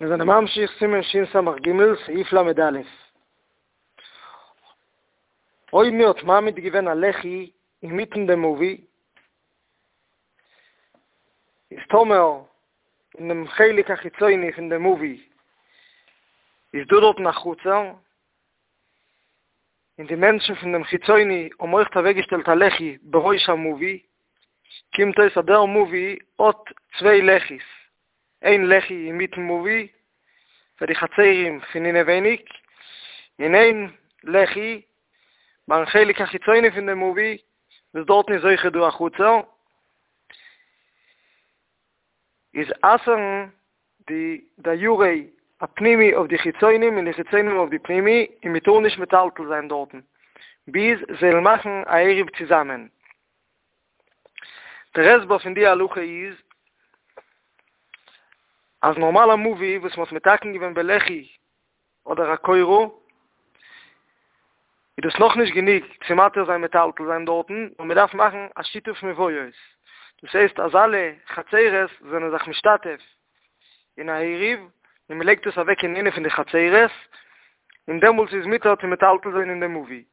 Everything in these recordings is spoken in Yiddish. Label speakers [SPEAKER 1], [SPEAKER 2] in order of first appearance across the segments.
[SPEAKER 1] מיר זענען ממשיך סימן שס"ג סעיף ל"א. אויב מען האט מעמיד געווען א לחי אינמיטן דעם מבוי, איז טאמער אין דעם חלק החיצוני פון דעם מבוי איז דא דארטן א חצר, און די מענטשן פון דעם חיצוני האבן אויכט אוועקגעשטעלט א לחי בראש המבוי, קומט אויס אז דער מבוי האט צוויי לחי'ס, איין לחי אינמיטן מבוי פאר די חצרים פון אינעווייניג, און איין לחי ביים חלק החיצוני פון דעם מבוי וואס דארטן איז אויכעט דא א חצר, איז אסר'ן די דיירי הפנימי אויף די חיצונים און די חיצונים אויף די פנימי, און מען טאר נישט מטלטל זיין דארטן ביז זיי וועלן מאכן א עירוב צוזאמען. דער הסבר פון די הלכה איז אז נארמאל א מבוי וואס מען האט מתקן געווען בלחי אדער א קורה איז דאס נאכנישט גענוג צו מתיר זיין מטלטל זיין דארטן, נאר מען דארף מאכן א שיתוף מבואות, דאס הייסט אז אלע חצרות זענען זיך משתתף אין א עירוב, און מען לייגט עס אוועק אין איינע פון די חצרות, און דעמאלטס איז מותר צו מטלטל זיין אין דעם מבוי,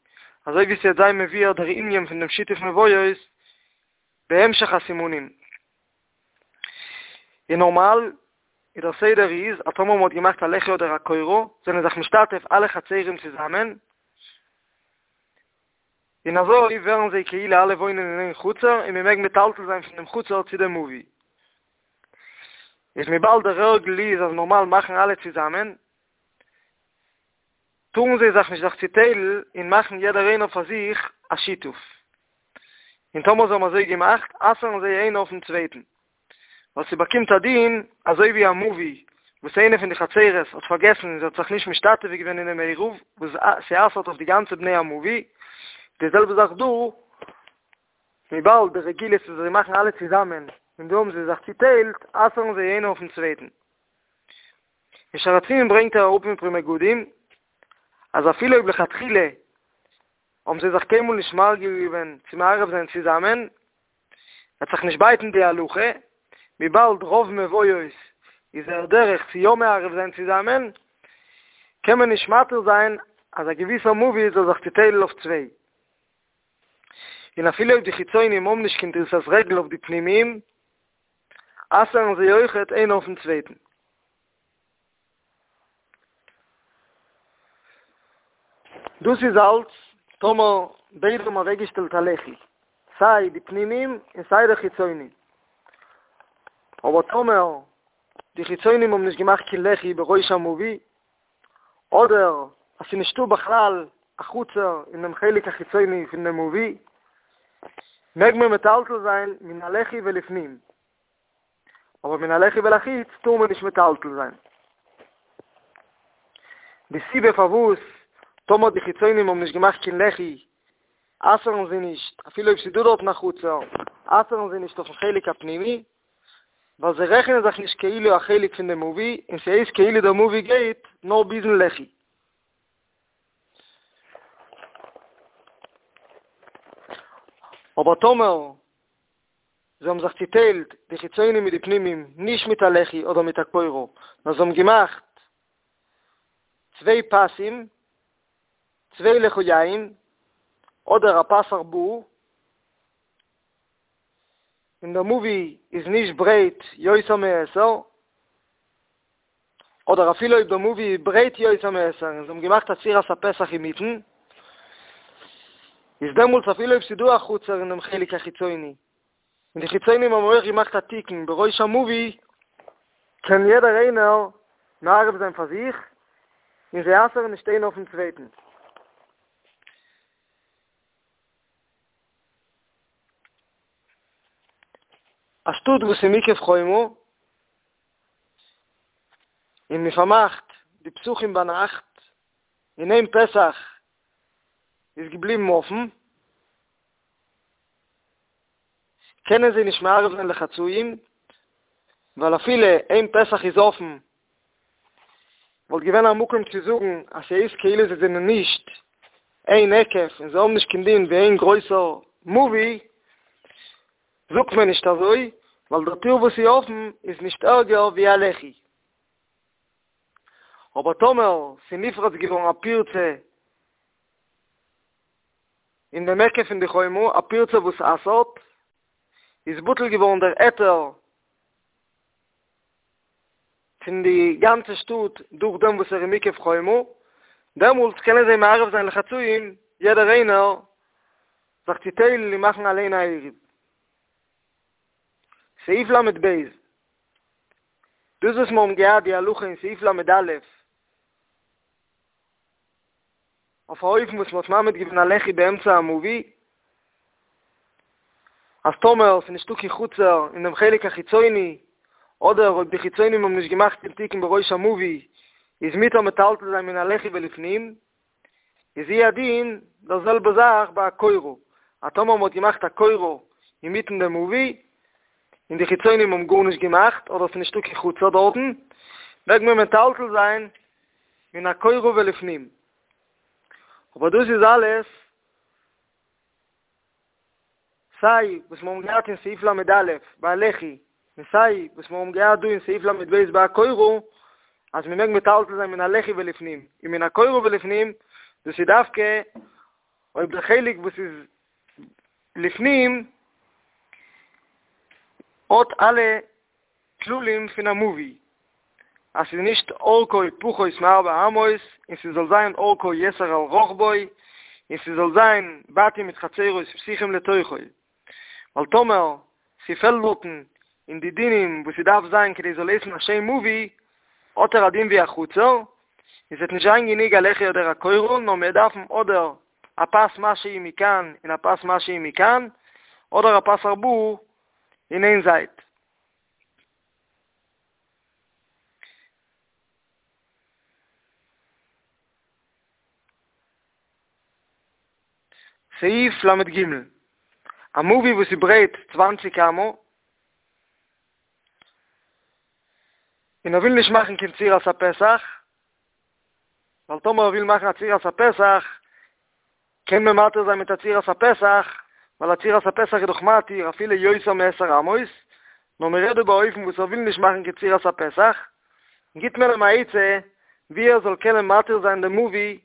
[SPEAKER 1] אזוי ווי ס'וועט זיין מבואר דער ענין פון דעם שיתוף מבואות בהמשך הסימנים. און נארמאל איז דער סדר איז אז טאמער מען האט געמאכט א לחי אדער א קורה זענען זיך משתתף אלע חצרים צוזאמען, און אזוי ווערן זיי כאילו אלע וואוינען אין איין חצר און מען מעג מטלטל זיין פון דעם חצר צו דעם מבוי. איז וויבאלד דער הרגל איז אז נארמאל מאכן אלע צוזאמען, טארן זיי זיך נישט זיך צוטיילן און מאכן יעדער איינער פאר זיך א שיתוף. און טאמער זיי האבן אזוי געמאכט, אסר'ן זיי איינער אויפ'ן צווייטן. ווייל ס'באקומט א דין אזוי ווי א מבוי וואס איינע פון די חצרות האט פארגעסן און זי האט זיך נישט משתתף געווען אינעם עירוב וואס ס'אסר'ט אויף די גאנצע בני המבוי, די זעלבע זאך דא, וויבאלד די רגילות איז אז זיי מאכן אלע צוזאמען און דא האבן זיי זיך צוטיילט, אסר'ן זיי איינער אויפ'ן צווייטן. אין שער הציון ברענגט ער אראפ אין פרי מגדים אז אפילו אויב לכתחילה האבן זיי זיך קיינמאל נישט מרגיל געווען צו מערב זיין צוזאמען, וועט זיך נישט בייטן די הלכה, וויבאלד רוב מבואות איז דער דרך צו יא מערב זיין צוזאמען, קען מען נישט מתיר זיין אז א געוויסער מבוי זאל זיך צוטיילן אויף צוויי. און אפילו אויב די חיצונים האבן נישט קיין דריסת רגל אויף די פנימיים, אסר'ן זיי אויכעט איינער אויפ'ן צווייטן. דאס איז אלץ טאמער ביידע האבן אוועקגעשטעלט א לחי, סיי די פנימיים און סיי די חיצונים. אבער טאמער די חיצונים האבן נישט געמאכט קיין לחי בראש המבוי, אדער אז ס'איז נישטא בכלל א חצר אין דעם חלק החיצוני פון דעם מבוי, מעג מען מטלטל זיין מן הלחי ולפנים. אבער מן הלחי ולחוץ טאר מען נישט מטלטל זיין. די סיבה פארוואס טאמער די חיצונים האבן נישט געמאכט קיין לחי אסר'ן זיי נישט, אפילו אויב ס'איז דא דארטן א חצר, אסר'ן זיי נישט אויפ'ן חלק הפנימי, ווייל זיי רעכענען זיך נישט כאילו א חלק פון די מבוי, און ס'הייסט כאילו דער מבוי גייט נאר ביז'ן לחי. אבער טאמער זיי האבן זיך צוטיילט די חיצונים מיט די פנימים נישט מיט א לחי אדער מיט א קורה, נאר זיי האבן געמאכט צוויי פסים, צוויי לחיים, אדער א פס ארבעה, און דער מבוי איז נישט ברייט יותר מעשר, אדער אפילו אויב דער מבוי איז ברייט יותר מעשר און זיי האבן געמאכט א צורת הפתח אינמיטן, איז דעמאלטס אפילו אויב ס'איז דא א חצר אין דעם חלק החיצוני, און די חיצונים האבן אויך געמאכט א תיקון בראש המבוי, קען יעדער איינער מערב זיין פאר זיך, און זיי אסר'ן נישט איינער אויפ'ן צווייטן. א שטאט וואס איז מוקף חומה, און מען פארמאכט די פתחים ביינאכט, און איין פתח איז געבליבן אפן, קענען זיי נישט מערב זיין לחצאים, ווייל אפילו איין פתח איז אפן, וואלט געווען א מקום צו זאגן אז ס'איז כאילו זיי זענען נישט איין היקף און זיי האבן נישט קיין דין ווי איין גרויסער מבוי, זאגט מען נישט אזוי, ווייל דער טיר וואס איז אפן איז נישט ערגער ווי א לחי. אבער טאמער ס'איז נפרץ געווארן א פירצה אין דעם היקף פון די חומה, א פירצה וואס אסר'ט, איז בטל געווארן דער היתר פון די גאנצע שטאט דורך דעם וואס ער איז מוקף חומה, דעמאלטס קענען זיי מערב זיין לחצאים יעדער איינער זיך צוטיילן און מאכן אליין א עירוב. סעיף ל"ב, דאס וואס מיר האבן געהאט די הלכה אין סעיף ל"א, אויף א אופן וואס מ'האט מעמיד געווען א לחי באמצע המבוי, אז טאמער ס'איז נישטא קיין חצר אין דעם חלק החיצוני, אדער אויב די חיצונים האבן נישט געמאכט קיין תיקון בראש המבוי, איז מותר מטלטל זיין מן הלחי ולפנים, איז הוא הדין דער זעלבע זאך ביי א קורה, אז טאמער מ'האט געמאכט א קורה אינמיטן דעם מבוי, און די חיצונים האבן גארנישט געמאכט, אדער ס'איז נישטא קיין חצר דארטן, מעג מען מטלטל זיין מן הקורה ולפנים. אבער דאס איז אלעס סיי וואס מיר האבן געהאט אין סעיף ל"א ביי א לחי, און סיי וואס מיר האבן געהאט דא אין סעיף ל"ב ביי א קורה, אז מען מעג מטלטל זיין מן הלחי ולפנים און מן הקורה ולפנים, דאס איז דווקא אויב דער חלק וואס איז לפנים האט אלע כללים פון א מבוי, אז ס'איז נישט אורכו פחות מארבע אמות, און ס'זאל זיין אורכו יתר על רחבו, און ס'זאל זיין בתים מיט חצרות פתוחים לתוכו, ווייל טאמער ס'פעלט דארטן אין די דינים וואס ס'דארף זיין כדי ס'זאל הייסן א שם מבוי, האט ער א דין ווי א חצר, און ס'וועט נישט זיין גענוג א לחי אדער א קורה, נאר מיר דארפן אדער א פס משהו מכאן און א פס משהו מכאן, אדער א פס ארבעה אין איין זייט. סעיף ל"ג, א מבוי וואס איז ברייט צוואנציג אמה, און ער וויל נישט מאכן קיין צורת הפתח, ווייל טאמער ער וויל מאכן א צורת הפתח, קען מען מתיר זיין מיט א צורת הפתח, ווייל א צורת הפתח איז דאך מתיר אפילו יותר מעשר אמות, נאר מען רעדט דא באופן וואס ער וויל נישט מאכן קיין צורת הפתח, גיט מען אים א עצה ווי ער זאל קענען מתיר זיין דעם מבוי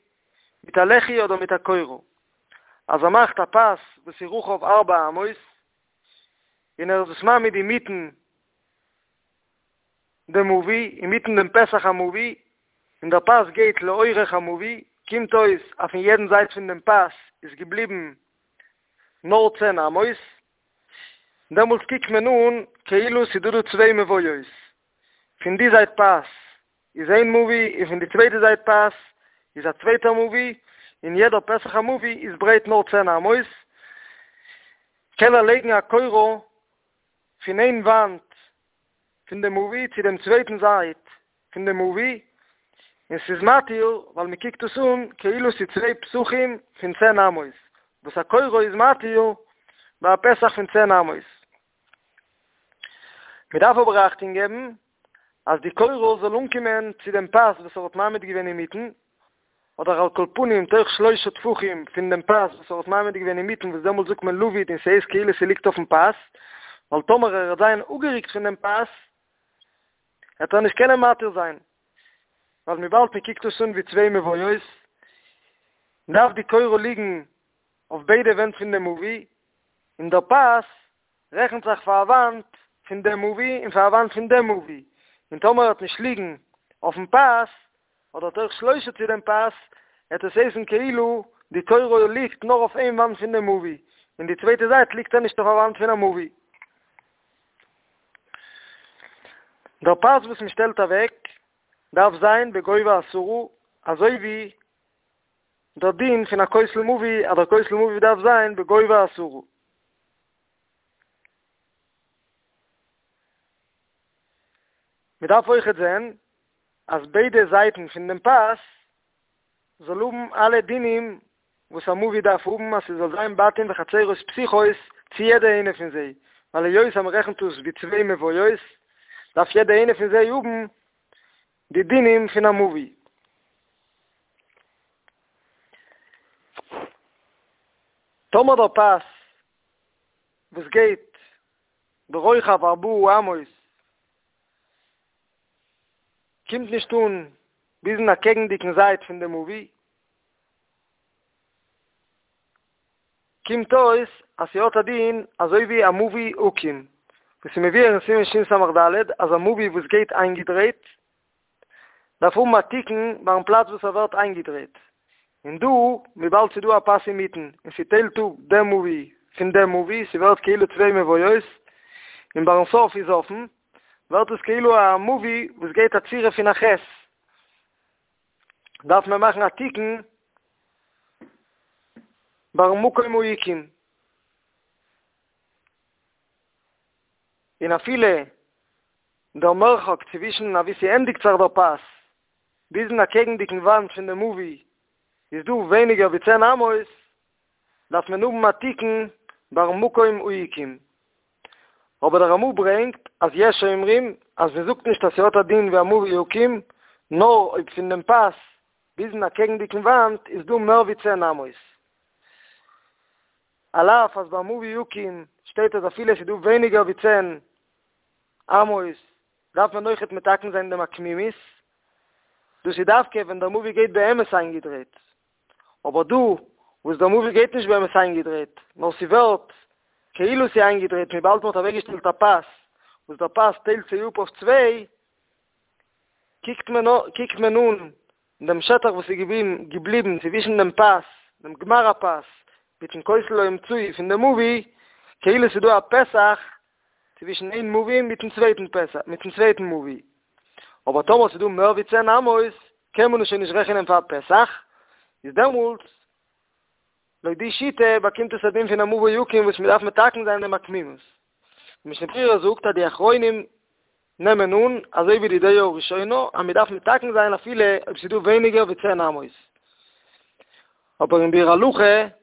[SPEAKER 1] מיט א לחי אדער מיט א קורה, אז ער מאכט א פס וואס איז רוחב ארבע אמות, און ער איז עס מעמיד אינמיטן דעם מבוי, אינמיטן דעם פתח המבוי, און דער פס גייט לאורך המבוי, קומט אויס אז פון יעדן זייט פון דעם פס איז געבליבן נאר צען אמות, דעמאלטס קוקט מען אן כאילו ס'איז דא דא צוויי מבואות, פון די זייט פס איז איין מבוי און פון די צווייטע זייט פס איז א צווייטער מבוי, און יעדער פתח המבוי איז ברייט נאר צען אמות, קען ער לייגן א קורה פון איין וואנט פון דעם מבוי צו דעם צווייטן זייט פון דעם מבוי, און ס'איז מתיר ווייל מ'קוקט עס אן כאילו ס'איז צוויי פתחים פון צען אמות, וואס א קורה איז מתיר ביי א פתח פון צען אמות. מ'דארף אבער אכטונג געבן אז די קורה זאל אנקומען צו דעם פס וואס ער האט מעמיד געווען אינמיטן, אדער על כל פנים תוך שלושה טפחים פון דעם פס וואס ער האט מעמיד געווען אינמיטן וואס דעמאלט זאגט מען לבוד און ס'הייסט כאילו ס'ליגט אויפן פס, ווייל טאמער ער וועט זיין אפגערוקט פון דעם פס וועט ער נישט קענען מתיר זיין, ווייל וויבאלד מ'קוקט עס אן ווי צוויי מבואות דארף די קורה ליגן אויף ביידע ווענט פון דעם מבוי, און דער פס רעכנט זיך פאר א וואנט פון דעם מבוי און פאר א וואנט פון דעם מבוי, און טאמער ער וועט נישט ליגן אויפן פס, אדער תוך שלושה צו דעם פס, וועט עס הייסן כאילו די קורה ליגט נאר אויף איין וואנט פון דעם מבוי, און די צווייטע זייט ליגט ער נישט אויף א וואנט פון א מבוי. דער פס וואס מען שטעלט אוועק דארף זיין בגובה עשרה, אזוי ווי דער דין פון א כותל מבוי אז דער כותל מבוי דארף זיין בגובה עשרה. מען דארף אויכעט זען אז ביידע זייטן פון דעם פס זאל האבן אלע דינים וואס א מבוי דארף האבן אז ס'זאל זיין בתים וחצרות פתוחות צו יעדע איינע פון זיי, ווייל היות אז מ'רעכנט עס ווי צוויי מבואות דארף יעדע איינע פון זיי האבן די דינים פון א מבוי. טאמער דער פס וואס גייט ברוחב ארבעה אמות קומט נישט אן. ביזן אקעגנדיגן זייט פון די מבוי, קומט אויס אז ס'האט א דין אזוי ווי א מבוי עקום, וואס איז מבואר אין סימן שס"ד אז א מבוי וואס גייט איינגעדרייט דארף האבן א תיקון ביים פלאץ וואס ער ווערט איינגעדרייט, און דא וויבאלד ס'דא א פס אינמיטן און ס'טיילט אפ דעם מבוי פון דעם מבוי, ס'ווערט כאילו צוויי מבואות, און ביים סוף איז אפן, ווערט עס כאילו א מבוי וואס גייט א צורה פון א ח', דארף מען מאכן א תיקון ביים מקום העיקום. און אפילו דער מרחק צווישן אוואו ס'ענדיגט זיך דער פס ביזן אקעגנדיגן וואנט פון די מבוי איז דא ווייניגער ווי צען אמות, דארף מען האבן א תיקון ביים מקום העיקום. אבער דער רמ"א ברענגט אז יש אומרים אז מען זאגט נישט אז ס'האט א דין ווי א מבוי עקום, נאר אויב פון דעם פס ביזן אקעגנדיגן וואנט איז דא מער ווי צען אמות. על אף אז ביי מבוי עקום שטייט אז אפילו עס איז דא ווייניגער ווי צען אמות דארף מען אויכעט מתקן זיין דעם עקמימות, דאס איז דווקא ווען דער מבוי גייט באמת איינגעדרייט, אבער דא וואס דער מבוי גייט נישט באמת איינגעדרייט, נאר ס'ווערט כאילו ס'איז איינגעדרייט וויבאלד מ'האט אוועקגעשטעלט א פס וואס דער פס טיילט זיי אפ אויף צוויי, קוקט מען קוקט מען אן דעם שטח וואס איז געבליבן צווישן דעם פס, דעם גמר הפס, מיטן כותל האמצעי פון דעם מבוי, כאילו ס'איז דא א פתח צווישן איין מבוי מיטן צווייטן פתח, מיטן צווייטן מבוי. אבער טאמער ס'איז דא מער ווי צען אמות, קען מען עס שוין נישט רעכענען פאר א פתח, איז דעמאלטס, לויט די שיטה, באקומט עס א דין פון א מבוי עקום וואס מ'דארף מתקן זיין דעם עקמימות. די משנה ברורה זאגט אז די אחרונים נעמען אן, אזוי ווי די דעה הראשונה, אז מ'דארף מתקן זיין אפילו אויב ס'איז דא ווייניגער ווי צען אמות. אבער אין ביאור הלכה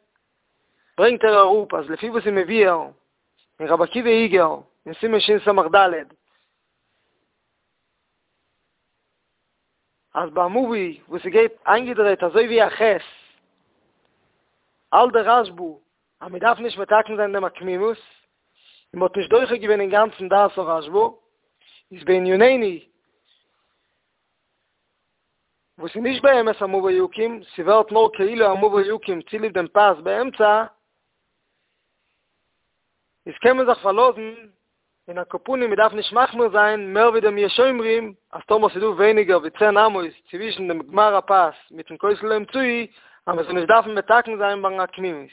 [SPEAKER 1] ברענגט ער אראפ אז לפי וואס איז מבואר אין רבי עקיבא איגר אין סימן שס"ד, אז ביי א מבוי וואס ס'גייט איינגעדרייט אזוי ווי א ח' האלט דער רשב"א אז מען דארף נישט מתקן זיין דעם עקמימות, און מען האט נישט דוחה געווען אינגאנצן דעת הרשב"א, איז בענינינו וואס איז נישט באמת א מבוי עקום, ס'ווערט נאר כאילו א מבוי עקום צוליב דעם פס באמצע, איז קען מען זיך פארלאזן, און על כל פנים מ'דארף נישט מחמיר זיין מער ווי דעם יש אומרים, אז טאמער ס'איז דא ווייניגער ווי צען אמות צווישן דעם גמר הפס מיטן כותל האמצעי, אז מ'זאל נישט דארפן מתקן זיין ביים עקמימות.